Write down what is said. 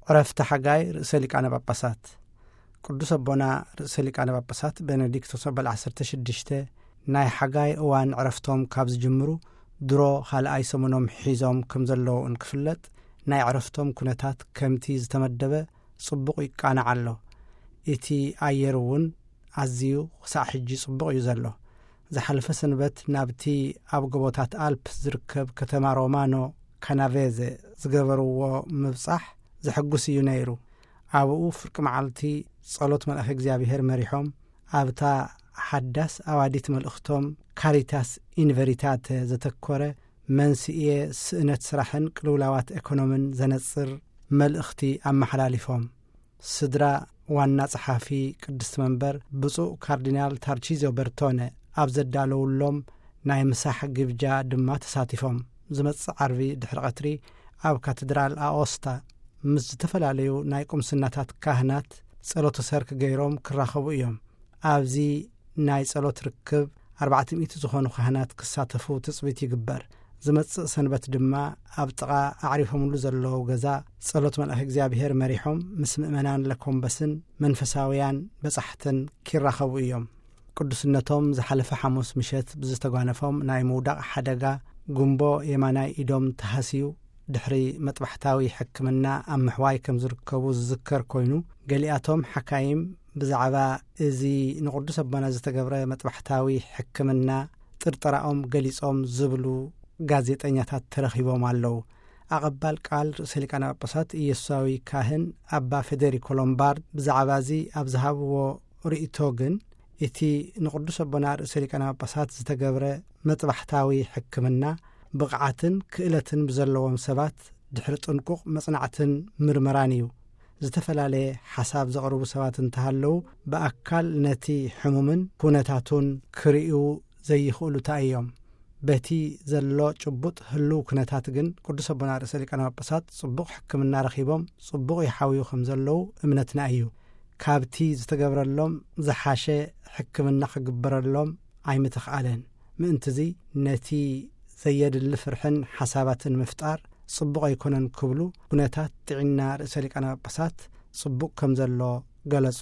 ዕረፍቲ ሓጋይ ርእሰ ሊቃነ ጳጳሳት። ቅዱስ ኣቦና ርእሰ ሊቃነ ጳጳሳት ቤኔዲክቶስ ኣበል ዓሰርተ ሽዱሽተ ናይ ሓጋይ እዋን ዕረፍቶም ካብ ዝጅምሩ ድሮ ካልኣይ ሰሙኖም ሒዞም ከም ዘለዉ እንክፍለጥ፣ ናይ ዕረፍቶም ኩነታት ከምቲ ዝተመደበ ጽቡቕ ይቃናዕ ኣሎ። እቲ ኣየር እውን ኣዝዩ ክሳዕ ሕጂ ጽቡቕ እዩ ዘሎ። ዝሓለፈ ሰንበት ናብቲ ኣብ ጎቦታት ኣልፕ ዝርከብ ከተማ ሮማኖ ካናቬዘ ዝገበርዎ ምብጻሕ ዘሐጉስ እዩ ነይሩ። ኣብኡ ፍርቂ መዓልቲ ጸሎት መልኣኽ እግዚኣብሔር መሪሖም፣ ኣብታ ሓዳስ ኣዋዲት መልእኽቶም ካሪታስ ኢንቨሪታተ ዘተኮረ መንስኤ ስእነት ስራሕን ቅልውላዋት ኤኮኖምን ዘነጽር መልእኽቲ ኣመሓላሊፎም። ስድራ ዋና ጸሓፊ ቅድስቲ መንበር ብፁዕ ካርዲናል ታርቺዞ በርቶነ ኣብ ዘዳለውሎም ናይ ምሳሕ ግብጃ ድማ ተሳቲፎም። ዝመጽእ ዓርቢ ድሕሪ ቀትሪ ኣብ ካቴድራል ኣኦስታ ምስ ዝተፈላለዩ ናይ ቁምስናታት ካህናት ጸሎተ ሰርክ ገይሮም ክራኸቡ እዮም። ኣብዚ ናይ ጸሎት ርክብ ኣርባዕተ ሚእቲ ዝኾኑ ካህናት ክሳተፉ ትጽቢት ይግበር። ዝመጽእ ሰንበት ድማ ኣብ ጥቓ ኣዕሪፎምሉ ዘለዉ ገዛ ጸሎት መልኣኽ እግዚኣብሔር መሪሖም ምስ ምእመናን ለኮምበስን መንፈሳውያን በጻሕትን ኪራኸቡ እዮም። ቅዱስነቶም ዝሓለፈ ሓሙስ ምሸት ብዝተጓነፎም ናይ ምውዳቕ ሓደጋ ጉንቦ የማናይ ኢዶም ተሃስዩ ድሕሪ መጥባሕታዊ ሕክምና ኣብ ምሕዋይ ከም ዝርከቡ ዝዝከር ኮይኑ፣ ገሊኣቶም ሓካይም ብዛዕባ እዚ ንቅዱስ ኣቦና ዝተገብረ መጥባሕታዊ ሕክምና ጥርጠራኦም ገሊጾም ዝብሉ ጋዜጠኛታት ተረኺቦም ኣለዉ። ኣቐባል ቃል ርእሰ ሊቃነ ጳጳሳት ኢየሱሳዊ ካህን ኣባ ፌዴሪኮ ሎምባርድ ብዛዕባ እዚ ኣብ ዝሃብዎ ርእይቶ ግን፣ እቲ ንቅዱስ ኣቦና ርእሰ ሊቃነ ጳጳሳት ዝተገብረ መጥባሕታዊ ሕክምና ብቕዓትን ክእለትን ብዘለዎም ሰባት ድሕሪ ጥንቁቕ መጽናዕትን ምርመራን እዩ። ዝተፈላለየ ሓሳብ ዘቕርቡ ሰባት እንተሃለዉ፣ ብኣካል ነቲ ሕሙምን ኩነታቱን ክርእዩ ዘይኽእሉታ እዮም። በቲ ዘሎ ጭቡጥ ህልው ኩነታት ግን ቅዱስ ኣቦና ርእሰ ሊቃነ ጳጳሳት ጽቡቕ ሕክምና ረኺቦም ጽቡቕ ይሓውዩ ከም ዘለዉ እምነትና እዩ። ካብቲ ዝተገብረሎም ዝሓሸ ሕክምና ክግበረሎም ኣይምተኽኣለን። ምእንትዚ ነቲ ዘየድሊ ፍርሕን ሓሳባትን ምፍጣር ጽቡቕ ኣይኮነን ክብሉ ኩነታት ጥዕና ርእሰ ሊቃነ ጳጳሳት ጽቡቕ ከም ዘሎ ገለጹ።